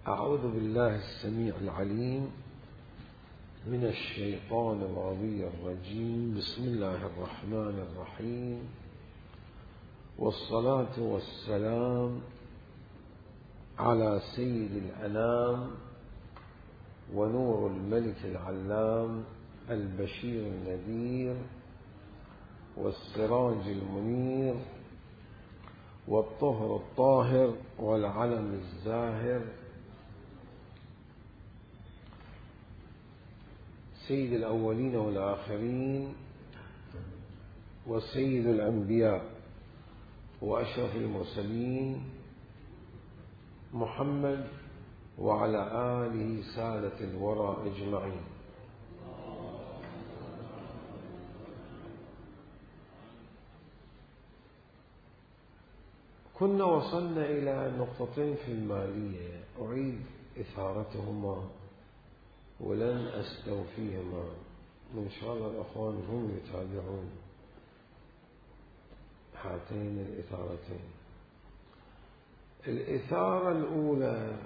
أعوذ بالله السميع العليم من الشيطان الغوي الرجيم. بسم الله الرحمن الرحيم، والصلاة والسلام على سيد الأنام ونور الملك العلام البشير النذير والسراج المنير والطهر الطاهر والعلم الزاهر سيد الأولين والآخرين وسيد الأنبياء وأشرف المرسلين محمد وعلى آله سادة الورى أجمعين. كنا وصلنا إلى نقطتين في المالية أعيد إثارتهما ولن أستوفيهما، إن شاء الله الأخوان هم يتابعون هاتين الإثارتين. الإثارة الأولى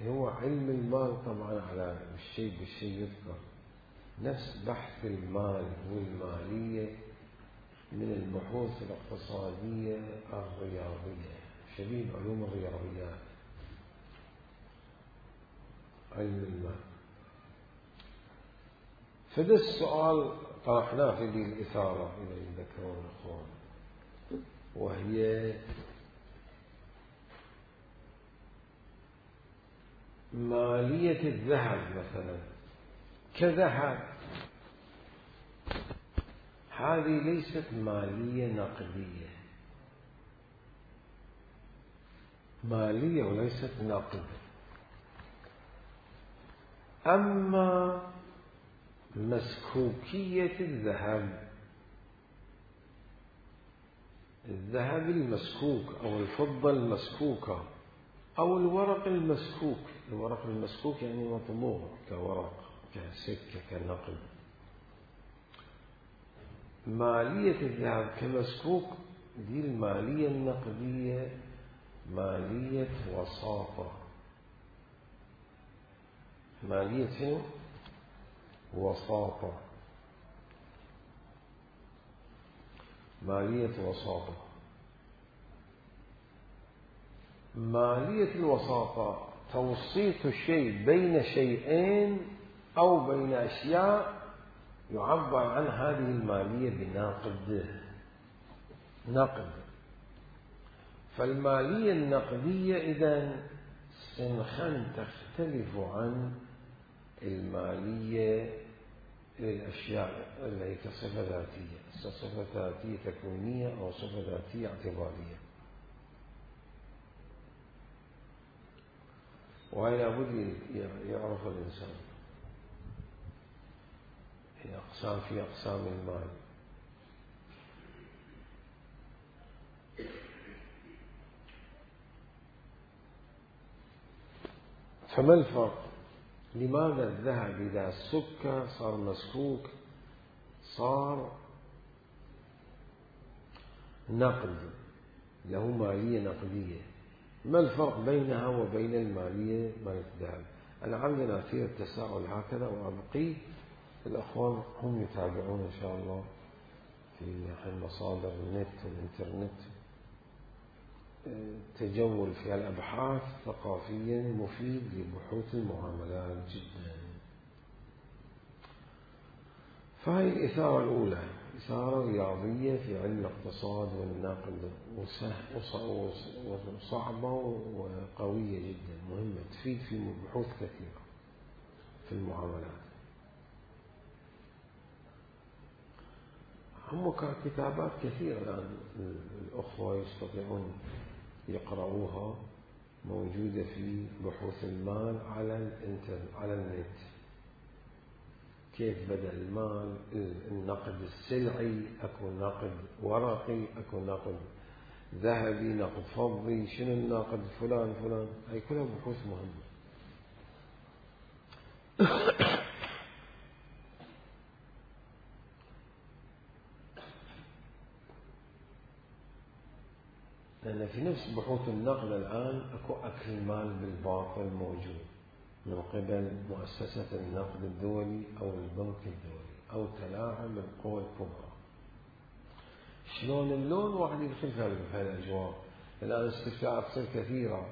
هو علم المال، طبعا على الشيء بالشيء يذكر، نفس بحث المال والمالية من البحوث الاقتصادية الرياضية، شبيه علوم الرياضيات، علم المال. فده السؤال طرحناه في ذي الإثارة إذا يذكرون الأخوان، وهي مالية الذهب مثلا كذهب، هذه ليست مالية نقدية، مالية وليست نقد. أما مسكوكية الذهب المسكوك أو الفضة المسكوكة أو الورق المسكوك، الورق المسكوك يعني مطبوع كورق كسكة كنقد. مالية الذهب كمسكوك دي المالية النقدية مالية وساطة، مالية وساطة، مالية وساطة. مالية الوساطة توسيط الشيء بين شيئين أو بين أشياء يعبر عن هذه المالية نقد. فالمالية النقدية إذن سنخا تختلف عن المالية للأشياء التي كصفة ذاتية، صفة ذاتية تكوينية أو صفة ذاتية اعتبارية، وهي لابد يعرف الإنسان في أقسام المال. فما الفرق؟ لماذا الذهب إذا سك صار مسكوك صار نقد، له مالية نقدية؟ ما الفرق بينها وبين المالية مالية الذهب؟ أنا عندنا في التساؤل هكذا، وأبقي الأخوان هم يتابعون إن شاء الله في مصادر النت والإنترنت، تجول في الأبحاث ثقافيا مفيد لبحوث المعاملات جدا. فهي الإثارة الأولى، إثارة رياضية في علم الاقتصاد والنقد، وصعبة وقوية جدا، مهمة، تفيد في بحوث كثيرة في المعاملات. هم كتابات كثيرة الآن الأخوة يستطيعون يقرأوها، موجودة في بحوث المال على النت. كيف بدأ المال، النقد السلعي، أكو نقد ورقي، أكو نقد ذهبي، نقد فضي، شنو النقد فلان، هاي كلها بحوث مهمة. لأن في نفس بحوث النقد الآن أكو أكل مال بالباطل موجود من قبل مؤسسة النقد الدولي أو البنك الدولي أو تلاعب القوى الكبرى. شلون اللون واحد يدخل في هالأجواء. الآن استفتاءات تصير كثيرة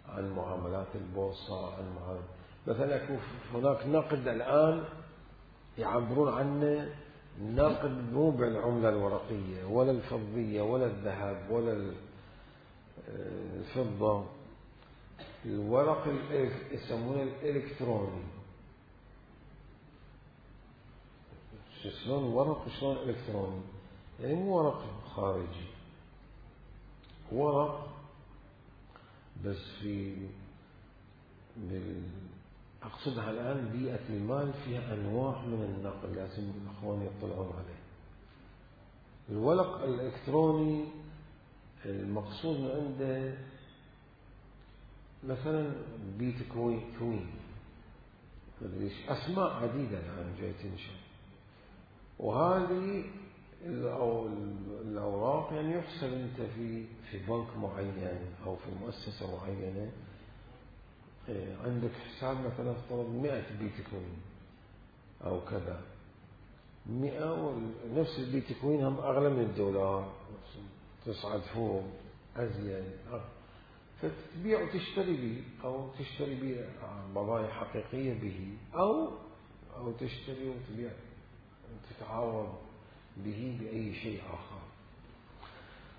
عن معاملات البورصة، عن مثلا هناك نقد الآن يعبرون عنه نقد مو بالعملة الورقية ولا الفضية ولا الذهب ولا الفضة، الورق يسمونه الإلكتروني. شلون ورق وشلون إلكتروني؟ يعني مو ورق خارجي، ورق بس أقصدها الآن بيئة المال فيها أنواع من النقل لازم الأخوان يطلعون عليه. الورق الإلكتروني المقصود من عنده مثلا بيتكوين أسماء عديدة الآن جاي تنشأ، وهذه الأوراق يعني يحسب أنت في بنك معين أو في مؤسسة معينة عندك حساب مثلا افترض 100 بيتكوين أو كذا 100، ونفس البيتكوين هم أغلى من الدولار، تصعد فوق أزيد، فتبيع وتشتري به أو تشتري به بضائع حقيقية به أو تشتري وتبيع وتتعاوض به بأي شيء آخر.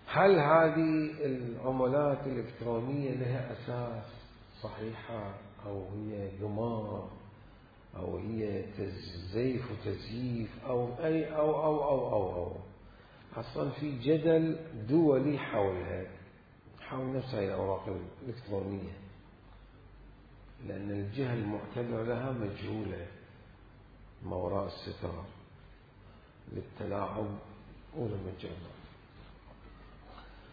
هل هذه العملات الإلكترونية لها أساس صحيحة أو هي قمار أو هي زيف وتزييف أو أي أو أصلا في جدل دولي حول نفس هذه الأوراق الإلكترونية، لأن الجهة المعتبرة لها مجهولة ما وراء الستار للتلاعب وللمجاملة.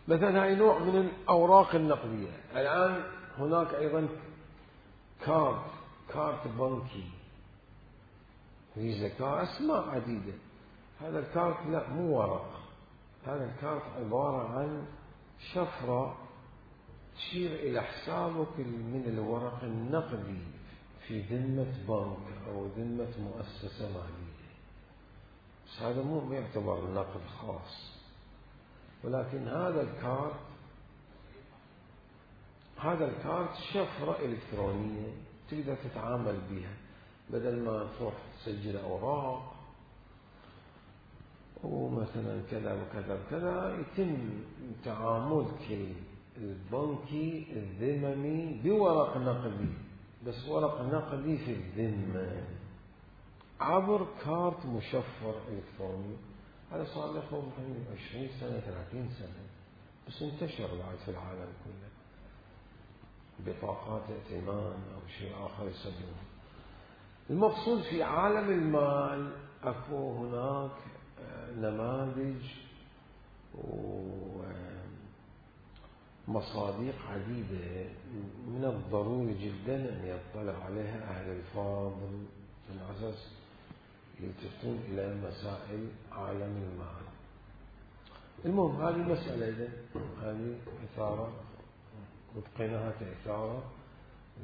مثلا هاي نوع من الأوراق النقدية. الآن هناك أيضا كارت بنكي، فيزا كارت، أسماء عديدة. هذا الكارت لا مو ورق، هذا الكارت عبارة عن شفرة تشير إلى حسابك من الورق النقدي في ذمة بنك أو ذمة مؤسسة مالية، بس هذا مو يعتبر نقد خاص. ولكن هذا الكارت شفرة إلكترونية تقدر تتعامل بها، بدل ما تروح تسجل أوراق ومثلا كذا وكذا وكذا، يتم تعاملك البنكي الذممي بورق نقدي، بس ورق نقدي في الذمة عبر كارت مشفر إلكتروني. هذا صار له 20 سنة 30 سنة، بس انتشر بعد في العالم كله، بطاقات ائتمان أو شيء آخر يسمونه. المقصود في عالم المال أكو هناك نماذج ومصادق عديدة من الضروري جدا أن يطلع عليها أهل الفاضل من أساس يلتفتون إلى مسائل عالم المال. المهم هذه مسألة هذه إثارة وبقيناها كإثارة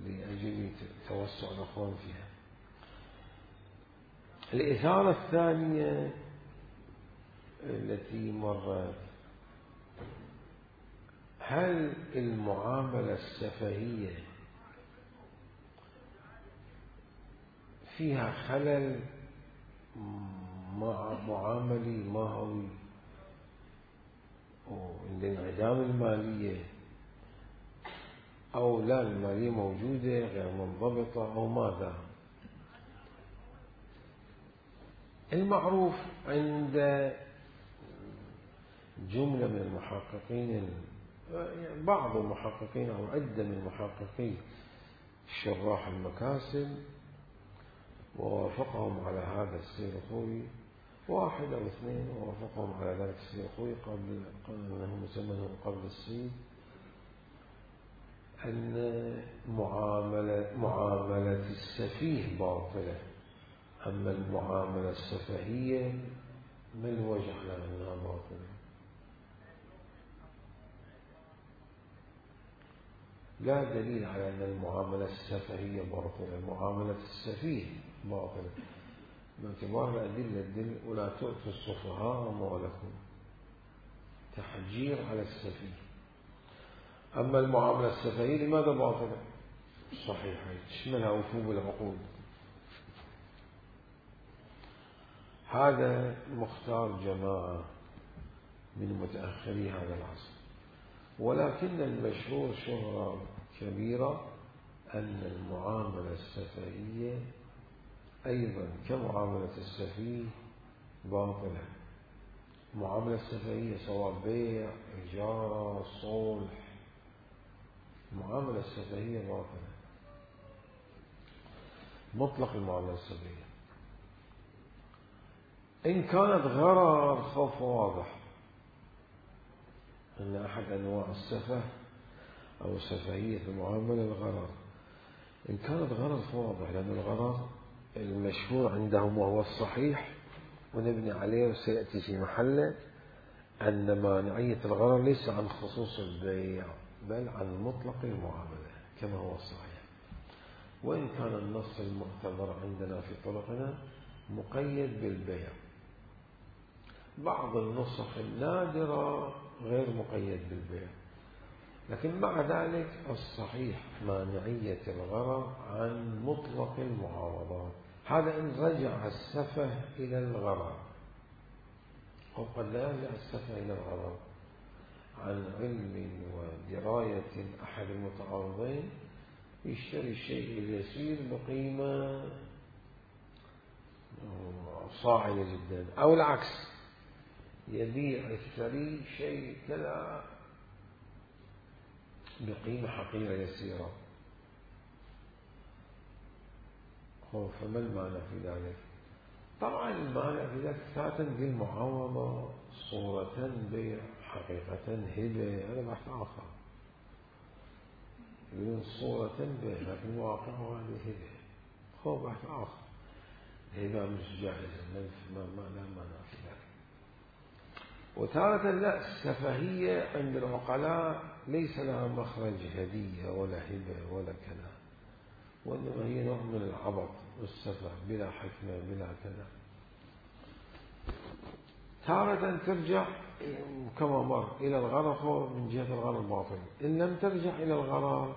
لأجل توسع الأخوان فيها. الإثارة الثانية التي مرت، هل المعاملة السفهية فيها خلل مع معاملي ماهوي لانعدام المالية، أو لا المالية موجودة غير منضبطة أو ماذا؟ المعروف عند جملة من المحققين، بعض المحققين أو عدة من المحققين شراح المكاسب، ووافقهم على هذا السيرخوي، واحد أو اثنين ووافقهم على ذلك السيرخوي قبل أنه مسمى قبل الصيد، أن معاملة السفيه باطلة، أما المعاملة السفهية ما الوجه على أنها باطلة؟ لا دليل على أن المعاملة السفهية باطلة. المعاملة السفيه باطلة باعتبار الأدلة تدل ولا تؤتوا السفهاء أموالكم، تحجير على السفيه. أما المعاملة السفهية لماذا باطلة؟ صحيحة تشملها وفوم العقود. هذا مختار جماعة من متأخري هذا العصر، ولكن المشهور شهرة كبيرة أن المعاملة السفهية أيضا كمعاملة السفيه باطلة. المعاملة السفهية سواء بيع، إجارة، صلح، المعاملة السفهية باطلة مطلق. المعاملة السفهية إن كانت غرر خوف واضح، أن أحد أنواع السفه أو السفهية في المعاملة الغرر. إن كانت غرر فواضح، لأن الغرر المشهور عندهم وهو الصحيح ونبني عليه وسيأتي في محله أن مانعية الغرر ليس عن خصوص البيع بل عن مطلق المعاملة كما هو الصحيح. وإن كان النص المعتبر عندنا في طرقنا مقيد بالبيع، بعض النسخ النادرة غير مقيد بالبيع، لكن مع ذلك الصحيح مانعية الغرر عن مطلق المعاوضات. هذا إن رجع السفه إلى الغرر، وقد لا يرجع السفه إلى الغرر عن علم ودراية أحد المتعارضين، يشتري الشيء اليسير بقيمة صاعدة جدا، أو العكس يبيع الثري شيء كذا بقيمة حقيرة يسيرة. فما المعنى في ذلك؟ طبعا المعنى في ذلك ذاتا بالمعاوضة صورة بيع حقيقة هبة، هذا بحث آخر. يقولون صورة بيع لكن واقعها هذه هبة، هو بحث آخر. هبة مش جاهزة، ما لا معنى في ذلك. وتارة لا، السفهية عند العقلاء ليس لها مخرج هدية ولا هبة ولا كذا، وإنما هي نوع من العبط والسفه بلا حكمة بلا كذا. تارة ترجع كما مر إلى الغرر من جهة الغرر الباطل. إن لم ترجع إلى الغرر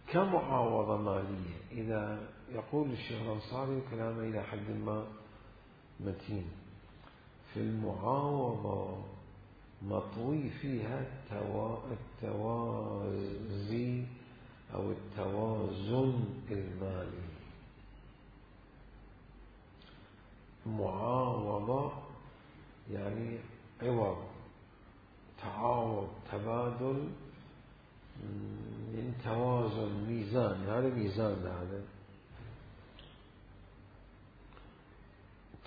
كمعاوضة مالية، إذا يقول الشيخ الأنصاري كلامه إلى حد ما متين، في المعاوضة مطوي فيها التوازي أو التوازن المالي. معاوضة يعني عوض، تعاوض، تبادل من توازن، ميزان، هذا ميزان، هذا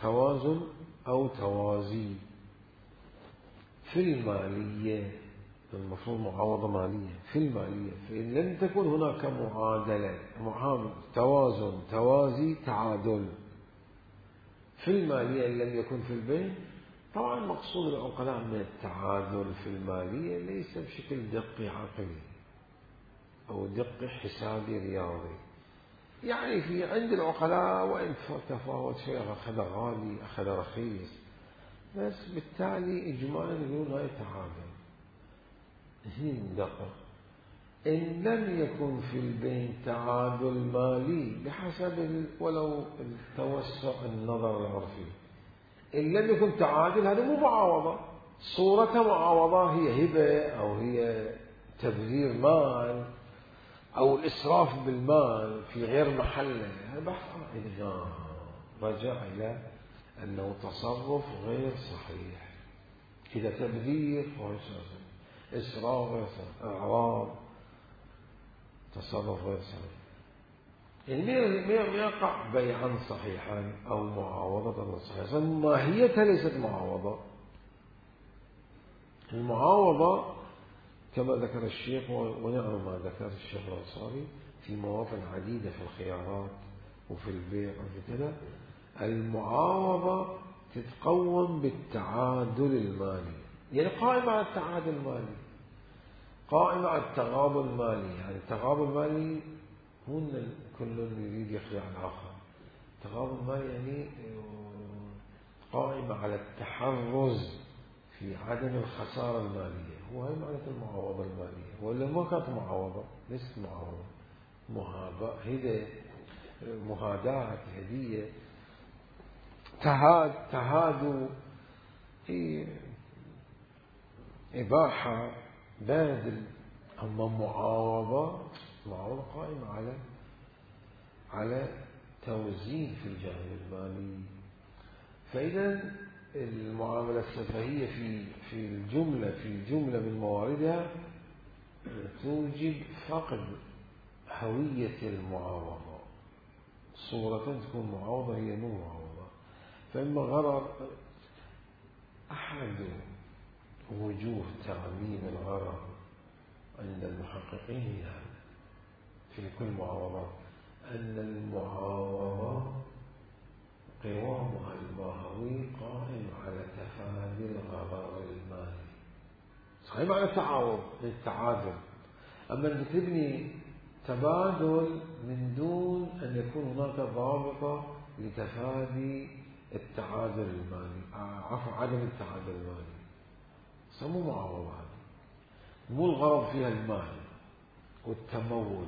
توازن أو توازي. في المالية المفروض معاوضة مالية في المالية، فإن لم تكن هناك معادلة، توازن، توازي، تعادل في المالية إن لم يكن في البيع. طبعا مقصود العقلاء من التعادل في المالية ليس بشكل دقي عقلي أو دقي حسابي رياضي، يعني في عند العقلاء وإن تفاوت شيء، أخذ غالي أخذ رخيص، بس بالتالي إجمالا يقولون هاي تعادل. هي دقة. إن لم يكن في البين تعادل مالي بحسب ولو التوسع النظر العرفي، إن لم يكن تعادل هذا مو معاوضة، صورة معاوضة هي هبة أو هي تبذير مال أو الإسراف بالمال في غير محله. هذا بحث إذا رجع إلى أنه تصرف غير صحيح. إذا تبذير فهو إسراف غير صحيح، إعراض، تصرف غير صحيح. يعني يقع بيعا صحيحا أو معاوضة غير صحيحة، ماهيتها ليست معاوضة. المعاوضة كما ذكر الشيخ، ونعم ما ذكر الشيخ الأنصاري في مواطن عديدة في الخيارات وفي البيع وفي كذا، المعاوضة تتقوم بالتعادل المالي، يعني قائمة على التعادل المالي، قائمة على التغابن المالي. يعني التغابن المالي مو إن كل يريد يخدع الآخر. التغابن المالي يعني قائمة على التحرز في عدم الخسارة المالية. هو هي معنى المعاوضة المالية، ولا ما كانت معاوضة، ليست معاوضة، مهاداة، هدية، تهادوا، هي إباحة، باذل. أما معاوضة قائمة على توزيع في الجانب المالي. فإذا المعاملة السفهية في الجملة من مواردها توجب فقد هوية المعاوضة. صورة تكون معاوضة هي مو معاوضة. فإما غرر، أحد وجوه تعميم الغرر عند المحققين في كل معاوضات أن المعاوضة قوامها الماهوي قائم على تفادي الغرر المالي. صحيح معنى التعادل. أما أن تبني تبادل من دون أن يكون هناك ضابطة لتفادي التعادل المالي، عدم التعادل المالي، سمو معاوضة. هذه مو الغرض فيها المال والتمول.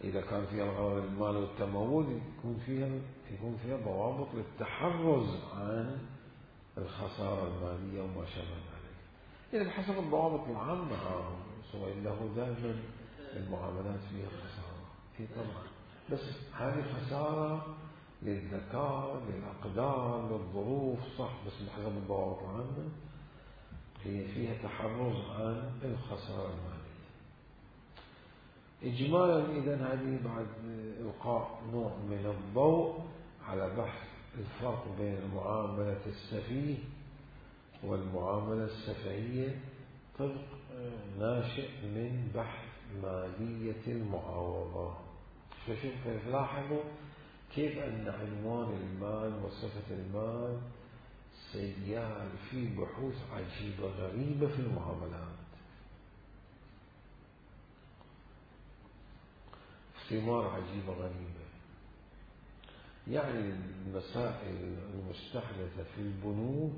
إذا كان فيها الغرض المال والتمول يكون فيها ضوابط للتحرز عن الخسارة المالية وما شابه ذلك. إذا بحسب الضوابط العامة سواء له دائما المعاملات فيها خسارة، هي طبعا، بس هذه خسارة للذكاء، للأقدار، للظروف، صح، بس بحسب الضوابط العامة هي فيها تحرز عن الخسارة المالية. إجمالا إذن هذه بعد إلقاء نوع من الضوء على بحث الفرق بين المعاملة السفيه والمعاملة السفهية طبق ناشئ من بحث مالية المعاوضة. فشوف لاحظوا كيف أن عنوان المال وصفة المال سيال في بحوث عجيبة غريبة في المعاملات، ثمار عجيبة غريبة. يعني المسائل المستحدثة في البنوك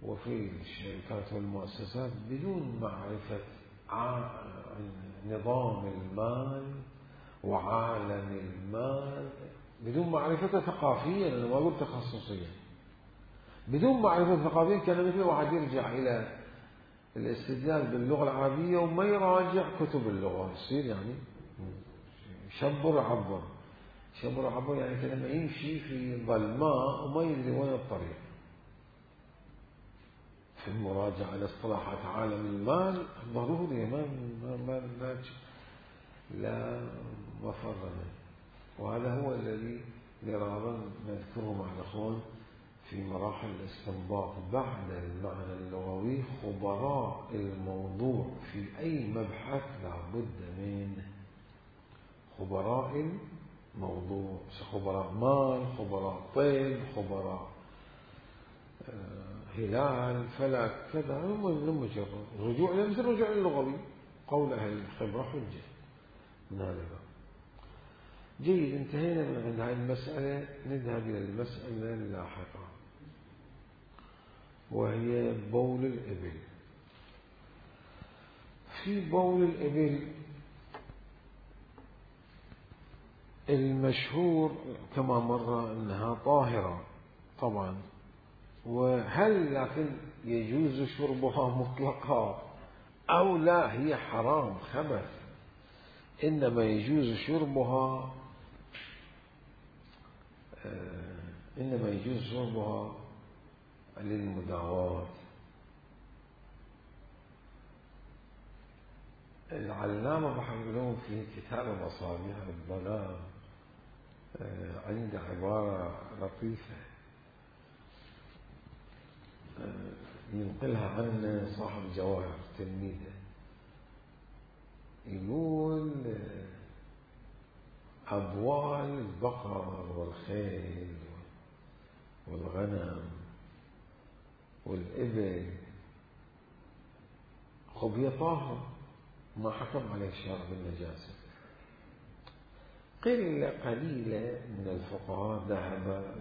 وفي الشركات والمؤسسات بدون معرفة نظام المال وعالم المال، بدون معرفة ثقافية، أنا ما أقول تخصصية، بدون معرفة ثقافية كان مثل واحد يرجع إلى الاستدلال باللغة العربية وما يراجع كتب اللغة، يصير يعني شبر عبر يعني كلمة يمشي في ظلماء وما يدري وين الطريق. في المراجعة لاصطلاحات عالم المال ضروري، لا مفر منه. وهذا هو الذي مرارا نذكره مع الأخوان في مراحل الاستنباط بعد المعنى اللغوي. خبراء الموضوع في أي مبحث لا بد من خبراء الموضوع، خبراء مال، خبراء طب، خبراء هلال، فلك، كذا. مجرد رجوع مثل الرجوع اللغوي، قول أهل الخبرة حجة من هذا. جيد، انتهينا من عند هذه المسألة. نذهب إلى المسألة اللاحقة وهي بول الإبل. في بول الإبل المشهور كما مر أنها طاهرة طبعا، وهل لكن يجوز شربها مطلقا أو لا هي حرام خبث؟ إنما يجوز شربها للمداواة. العلامة محمد في كتاب مصابيح الظلام عنده عبارة لطيفة ينقلها عن صاحب جواهر تلميذه، يقول أبوال البقر والخيل والغنم والإبل خب هي طاهرة، ما حكم عليه الشرع بالنجاسة. قليلة من الفقهاء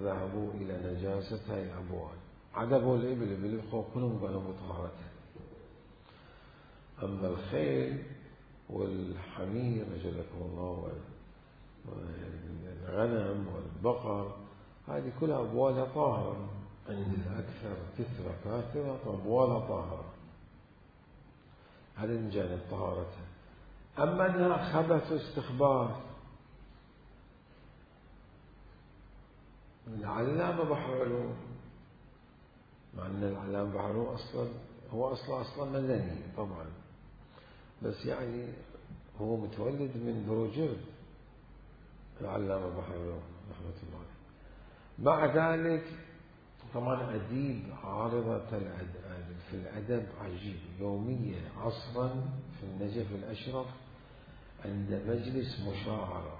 ذهبوا إلى نجاسة هاي الأبوال. عدبوا الإبل بالخوف كلهم قالوا بطهارتها. أما الخيل والحمير أجلكم الله والغنم والبقر هذه كلها أبوالها طاهرة عند الأكثر، كثرة كاثرة أبوالها طاهرة. هذا من جانب طهارتها. أما أنها خبث واستخبار، العلامة بحر علوم، مع أن العلامة بحر علوم هو أصلا مدني طبعا، بس يعني هو متولد من بروجرد العلامة بحر علوم رحمة الله. مع ذلك طبعا أديب عارضة في الأدب عجيب، يومية عصرا في النجف الأشرف عند مجلس مشاعرة،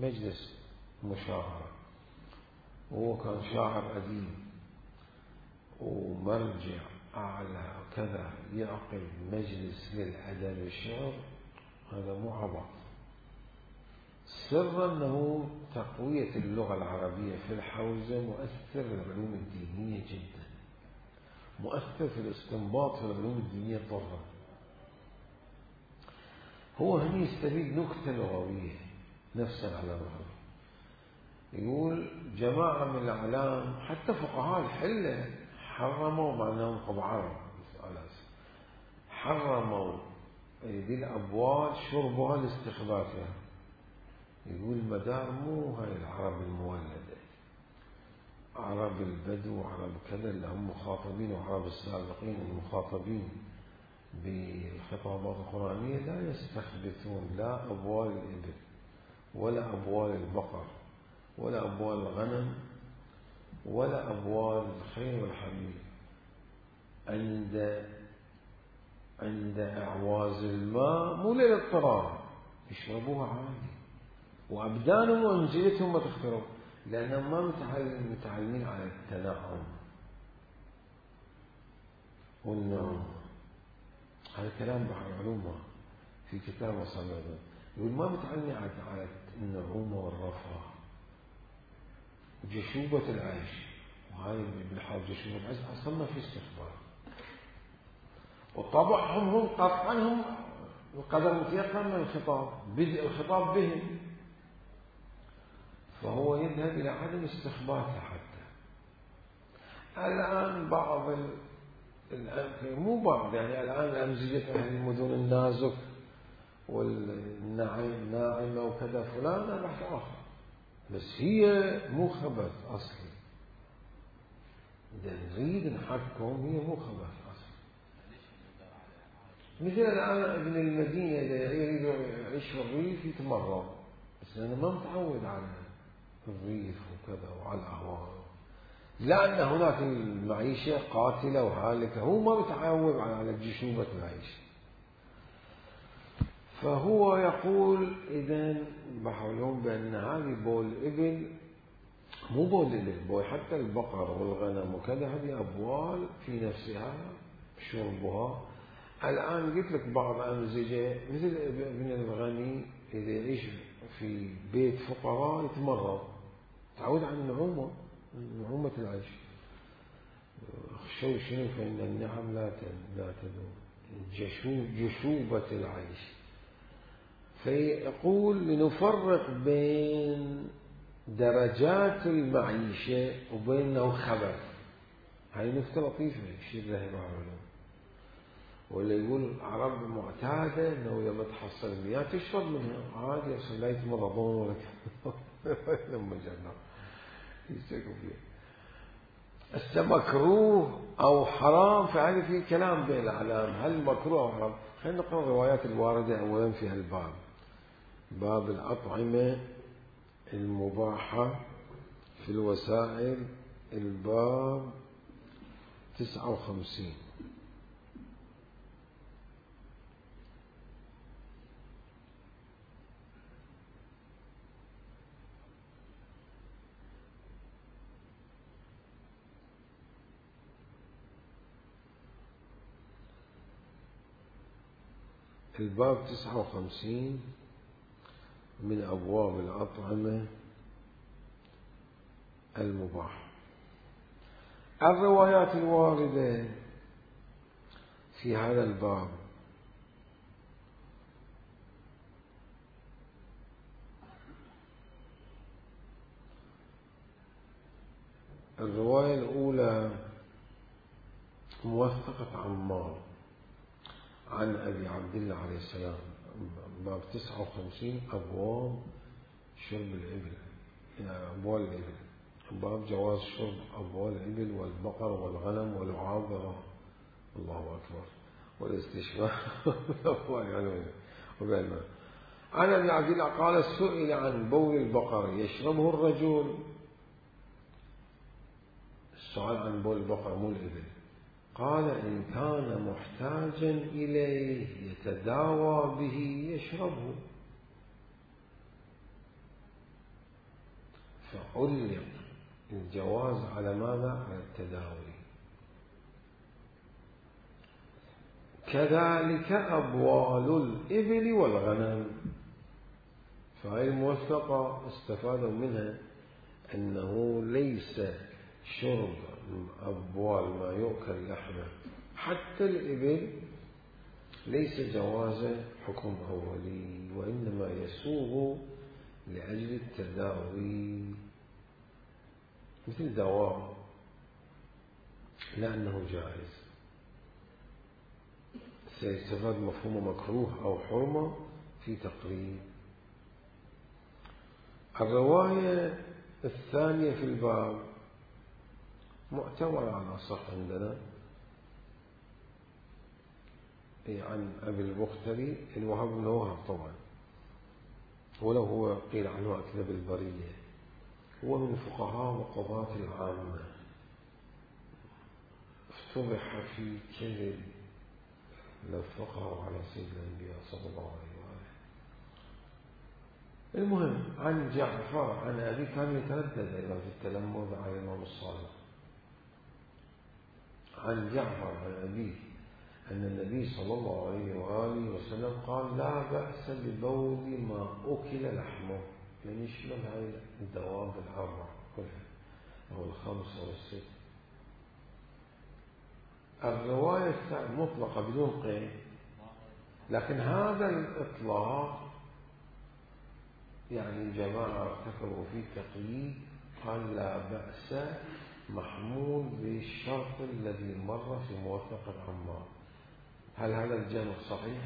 مجلس مشاعرة، وهو كان شاعر أديب ومرجع أعلى كذا، يعقد مجلس للأدب والشعر. هذا مو عبط، سر أنه تقوية اللغة العربية في الحوزة مؤثر في العلوم الدينية جدا، مؤثر في الاستنباط في العلوم الدينية طبعا. هو هنا يستفيد نكتة لغوية نفس العلامة. يقول جماعة من الأعلام حتى فقهاء الحلة حرموا، مع أنهم قبل عرب، حرموا ذي الأبوال شربها لاستخبارها. يقول مدار مو هاي العرب المولدة، عرب البدو وعرب كذا اللي هم مخاطبين، وعرب السابقين المخاطبين بالخطابات القرآنية لا يستخبثون لا أبوال الإبل ولا أبوال البقر ولا أبوال الغنم ولا أبوال الخيل والحمير. عند أعواز الماء مو للاضطرار يشربوها عادي، وأبدانهم وأنجلتهم ما تخترب، لأنهم ما متعلمين على التنعم والنعم. هذا كلام بحر علومه في كتاب وصلنا، يقول ما متعلمين على النعومة والرفاه وجشوبة العيش. وهاي بالحال جشوبة العيش أصلا ما في استخبار، وطبعهم هم قطعا هم القدر متيقن من الخطاب، بدء الخطاب بهم، فهو يذهب إلى عدم استخبارها. حتى الآن بعض مو بعض يعني الآن أمزجة أهل المدن النازك والناعمة وكذا فلان بحث آخر، بس هي مو خبث أصلي. إذا نريد نحكم هي مو خبث أصلي. مثل الآن ابن المدينة إذا يريد يعيش في الريف يتمرض، بس أنا ما متعود على الريف وكذا وعلى الأهواء، لأن هناك المعيشة قاتلة وهالكة، هو ما متعود على جشوبة العيش. فهو يقول إذن بحولهم بأن هذه بول الإبل مو بول الإبل، بول حتى البقر والغنم وكذا، هذه أبوال في نفسها شربها. الآن قلت لك بعض أمزجة مثل ابن الغني إذا يعيش في بيت فقراء يتمرض، تعود على النعومة، نعومة العيش. خشوا شنو؟ فإن النعم لا تدوم، جشوبة العيش. فيقول لنفرق بين درجات المعيشة وبينه خبث. هاي نكتة لطيفة الشيء ذهب عليه. ولا يقول عرب معتادة أنه لما تحصل المياه تشرب منها عادي، عشان لا يتمرضون ولا لما جنة يستيقظ فيها. مكروه أو حرام، فهذا في كلام بين الأعلام، هل مكروه أو حرام؟ خلينا نقرأ الروايات الواردة أولا في هالباب، باب الأطعمة المباحة في الوسائل، الباب 59. الباب 59 من أبواب الأطعمة المباحة. الروايات الواردة في هذا الباب الرواية الأولى موثقة عمار عن أبي عبد الله عليه السلام، باب 59 أبواب شرب الإبل، أبوال الإبل، باب جواز شرب أبوال الإبل والبقر والغنم والعابرة، الله أكبر، والاستشفاء عن أبي عبد الله قال سئل عن بول البقر يشربه الرجل، السؤال عن بول البقر مو الإبل، قال إن كان محتاجا إليه يتداوى به يشربه، فعلق الجواز على ماذا؟ على التداوي. كذلك أبوال الإبل والغنم، فهي الموثقة استفادوا منها أنه ليس شرب أبوال ما يؤكل لحمه حتى الإبل ليس جواز حكم أولي، وإنما يسوغ لأجل التداوي مثل دواء، لأنه جائز. سيستفاد مفهوم مكروه أو حرمة في تقريب. الرواية الثانية في الباب معتبرة على الصح عندنا، عن أبي البختري الوهاب بن وهب طبعا، ولو هو قيل عنه أكذب البرية، هو من فقهاء وقضاة العامة، افتضح في كذب لفقه على سيد الأنبياء صلى الله عليه وآله. المهم عن جعفر عن أبي كان يتردد أيضا في التلمذ على الإمام الصادق، عن جعفر عن أبيه أن النبي صلى الله عليه وآله وسلم قال لا بأس ببول ما أكل لحمه، يعني يشمل هاي الدواب الأربع كلها أو الخمس أو الست. الرواية مطلقة بدون قيد، لكن هذا الإطلاق يعني الجماعة ارتكبوا فيه تقييد، قال لا بأس محمول بالشرط الذي مر في موثق عمار. هل هذا الجمع صحيح؟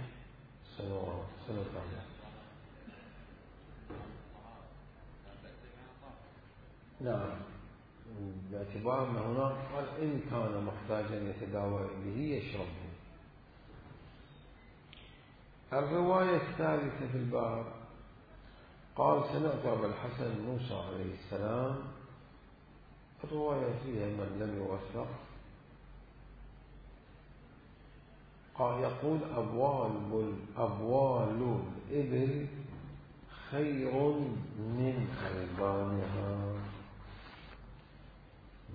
سنتعلم. نعم، باعتبار أن هناك قال إن كان محتاجا يتداوى به يشربه. الرواية الثالثة في الباب قال سمعت أبا الحسن موسى عليه السلام، الرواية فيها من لم يوثق، قال يقول أبوال الإبل خير من ألبانها،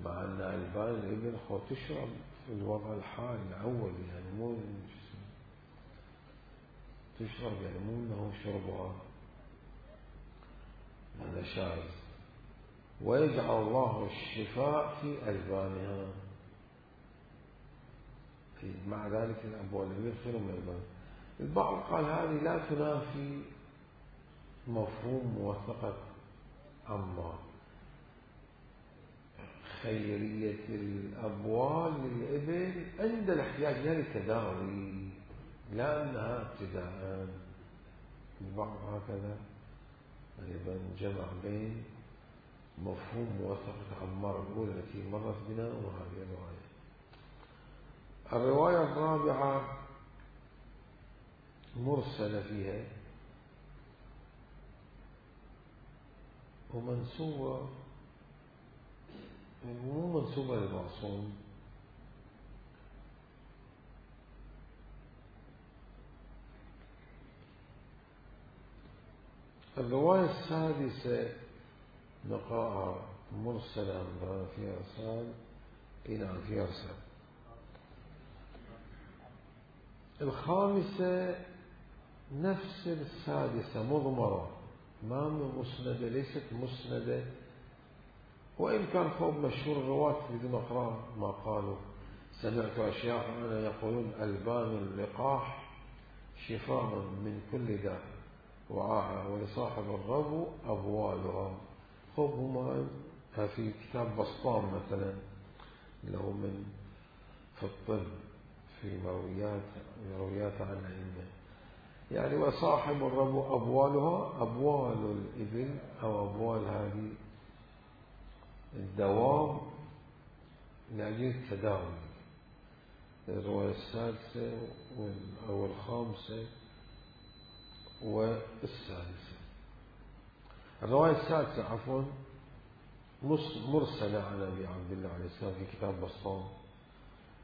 مع أن ألبان الإبل تشرب في الوضع الحالي الأول، يعني مو تشرب، يعني مو أنه شربها هذا شاذ، ويجعل الله الشفاء في ألبانها، مع ذلك الأبوال الإبل خير من ألبان. البعض قال هذه لا تنافي مفهوم موثقة عمار، خيرية الأبوال للإبل عند الاحتياج لها للتداوي، لا أنها ابتداء. البعض هكذا أيضا جمع بين مفهوم موثقة عمار الأولى التي مرت بنا وهذه الرواية. الرواية الرابعة مرسلة فيها ومنسوبة، مو منسوبة للمعصوم، الرواية السادسة نقاء مرسلة في إرسال إلى في إرسال. الخامسة نفس السادسة مضمرة ما مسندة، ليست مسندة، وإن كان فوق مشهور الرواة بدون أقرار ما قالوا. سمعت أشياخنا يقولون ألبان اللقاح شفاء من كل داء وعاها ولصاحب الربو أبوالها. خب هما في كتاب بسطام مثلا له من في الطب في مرويات عن الأئمة، يعني وصاحب الربو أبوالها أبوال الإبل أو أبوال هذه الدواب لأجل التداوي. الرواية السادسة أو الخامسة والسادسة. الرواية السادسة عفوا مرسلة عن أبي عبد الله عليه السلام في كتاب بسطام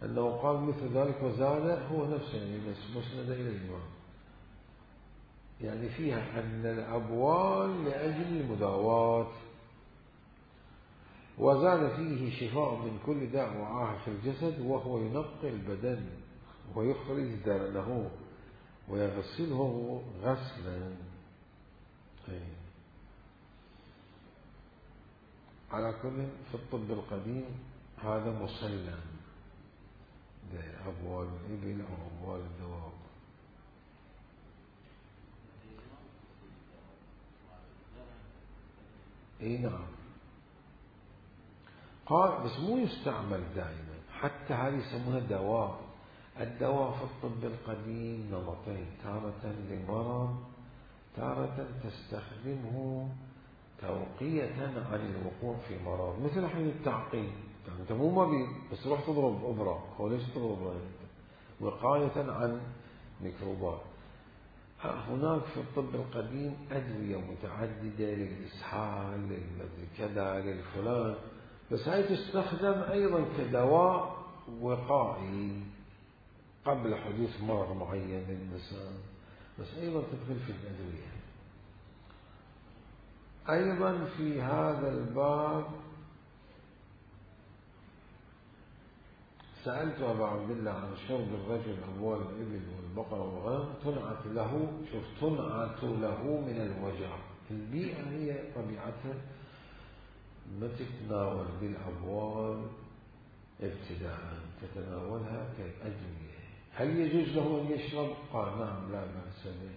أنه قال مثل ذلك وزاد، هو نفسه يعني مسند إلى الإمام، يعني فيها أن الأبوال لأجل المداواة، وزاد فيه شفاء من كل داء وعاهة في الجسد، وهو ينقي البدن ويخرج درنه ويغسله غسلا. على كل في الطب القديم هذا مسلم أبوال الإبل أو أبوال الدواب. اي نعم، قال بس مو يستعمل دائما، حتى هذه يسمونها دواء. الدواء في الطب القديم نمطين، تارة لمرض، تارة تستخدمه توقية عن الوقوع في مرض، مثل حين التعقيم، يعني أنت مو مريض بس روح تضرب إبرة، هو ليش تضرب إبرة؟ وقاية عن ميكروبات. هناك في الطب القديم أدوية متعددة للإسهال للكذا للفلان، بس هاي تستخدم أيضا كدواء وقائي قبل حدوث مرض معين للإنسان، بس أيضا تدخل في الأدوية. أيضا في هذا الباب سألت أبا عبد الله عن شرب الرجل أموال الإبل والبقر والغنم تنعت له، شوف تنعت له من الوجع. البيئة هي طبيعتها ما تتناول بالأموال ابتداء، تتناولها كأدوية. هل يجوز له أن يشرب؟ قال نعم لا بأس به.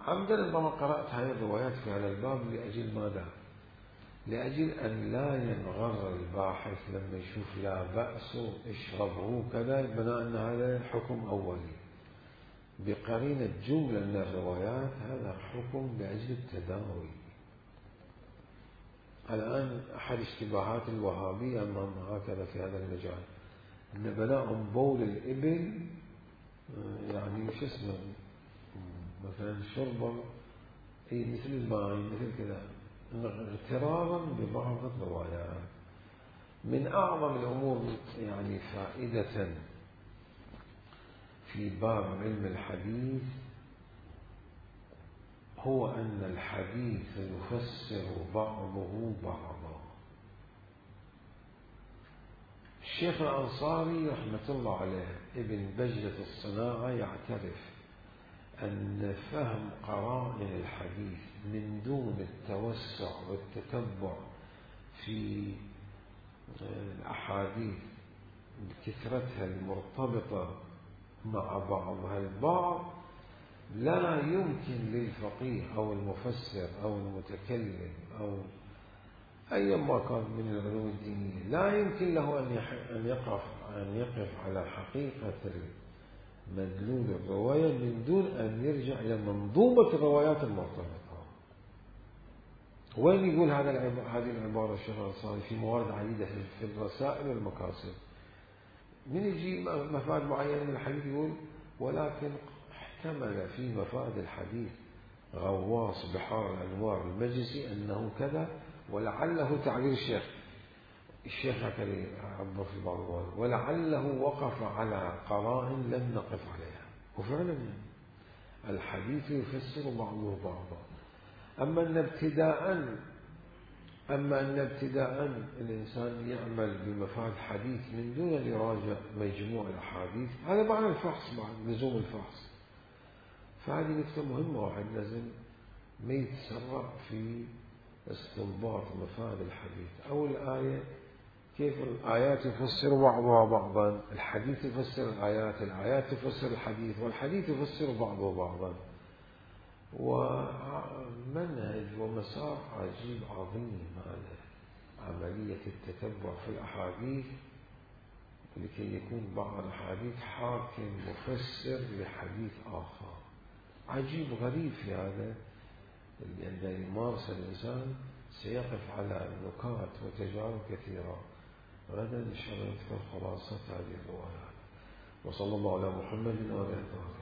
عمدا لما قرأت هذه الروايات في هذا الباب لأجل ماذا؟ لأجل أن لا ينغر الباحث لما يشوف لا بأس اشربه كذا بناء أن هذا حكم أولي بقرينة جملة من الروايات، هذا حكم لأجل التداوي. الآن أحد اشتباهات الوهابية أنهم هكذا في هذا المجال، أن بناء بول الإبل يعني شو اسمه مثلا شربه مثل الماء مثل كذا، اغترارا ببعض الروايات. من أعظم الأمور يعني فائدة في باب علم الحديث هو أن الحديث يفسر بعضه بعضا. الشيخ الأنصاري رحمة الله عليه ابن بجلة الصناعة يعترف أن فهم قرائن الحديث من دون التوسع والتتبع في الأحاديث بكثرتها المرتبطة مع بعضها البعض لا يمكن للفقيه أو المفسر أو المتكلم أو أي ما كان من العلوم الدينية، لا يمكن له أن يقف على حقيقة مدلول الرواية من دون أن يرجع إلى منظومة الروايات المرتبطة. وين يقول هذه العبارة الشيخ الأنصاري في موارد عديدة في الرسائل والمكاسب، من يجي مفاد معينة من الحديث يقول ولكن احتمل في مفاد الحديث غواص بحار الأنوار المجلسي أنه كذا، ولعله تعبير الشيخ هكذا عبر في بعض الوقت، ولعله وقف على قرائن لم نقف عليها. وفعلا الحديث يفسر بعضه بعضا. أما أن ابتداء الإنسان يعمل بمفاد حديث من دون أن يراجع مجموع الأحاديث، هذا معنى الفحص، بعد لزوم الفحص. فهذه نكتة مهمة، واحد لازم ما يتسرع في استنباط مفاد الحديث أو الآية. كيف الآيات يفسر بعضها بعضا، الحديث يفسر الآيات، الآيات تفسر الحديث، والحديث يفسر بعضه بعضا. ومنهج ومسار عجيب عظيم هذا، عملية التتبع في الأحاديث لكي يكون بعض الحديث حاكم مفسر لحديث آخر. عجيب غريب في هذا، لأن يمارس الإنسان سيقف على نكات وتجارب كثيرة. غدا إن شاء الله نذكر خلاصة هذه الروايات. وصلى الله على محمد وعلى آله.